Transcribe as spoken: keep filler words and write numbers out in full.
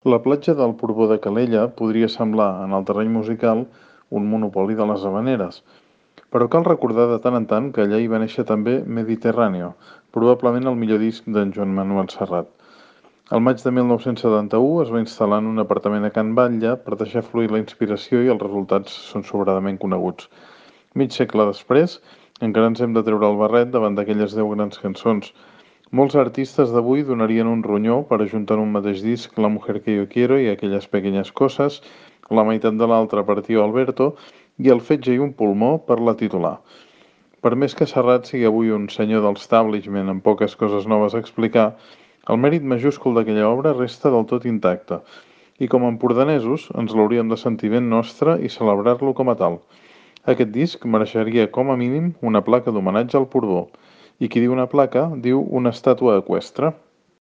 La platja del Porbó de Calella podria semblar, en el terreny musical, un monopoli de les havaneres, però cal recordar de tant en tant que allà hi va néixer també Mediterráneo, probablement el millor disc d'en Joan Manuel Serrat. Al maig de mil nou-cents setanta-u es va instal·lar en un apartament a Can Batlle per deixar fluir la inspiració i els resultats són sobradament coneguts. Mig segle després, encara ens hem de treure el barret davant d'aquelles deu grans cançons. Molts artistes d'avui donarien un ronyó per ajuntar en un mateix disc La mujer que yo quiero i Aquelles pequeñas cosas, la meitat de l'altra per Tío Alberto i El fetge i un pulmó per la titular. Per més que Serrat sigui avui un senyor del establishment amb poques coses noves a explicar, el mèrit majúscul d'aquella obra resta del tot intacte, i com a empordanesos ens l'hauríem de sentir ben nostre i celebrar-lo com a tal. Aquest disc mereixeria com a mínim una placa d'homenatge al Porbó. I qui diu una placa, diu una estàtua eqüestre.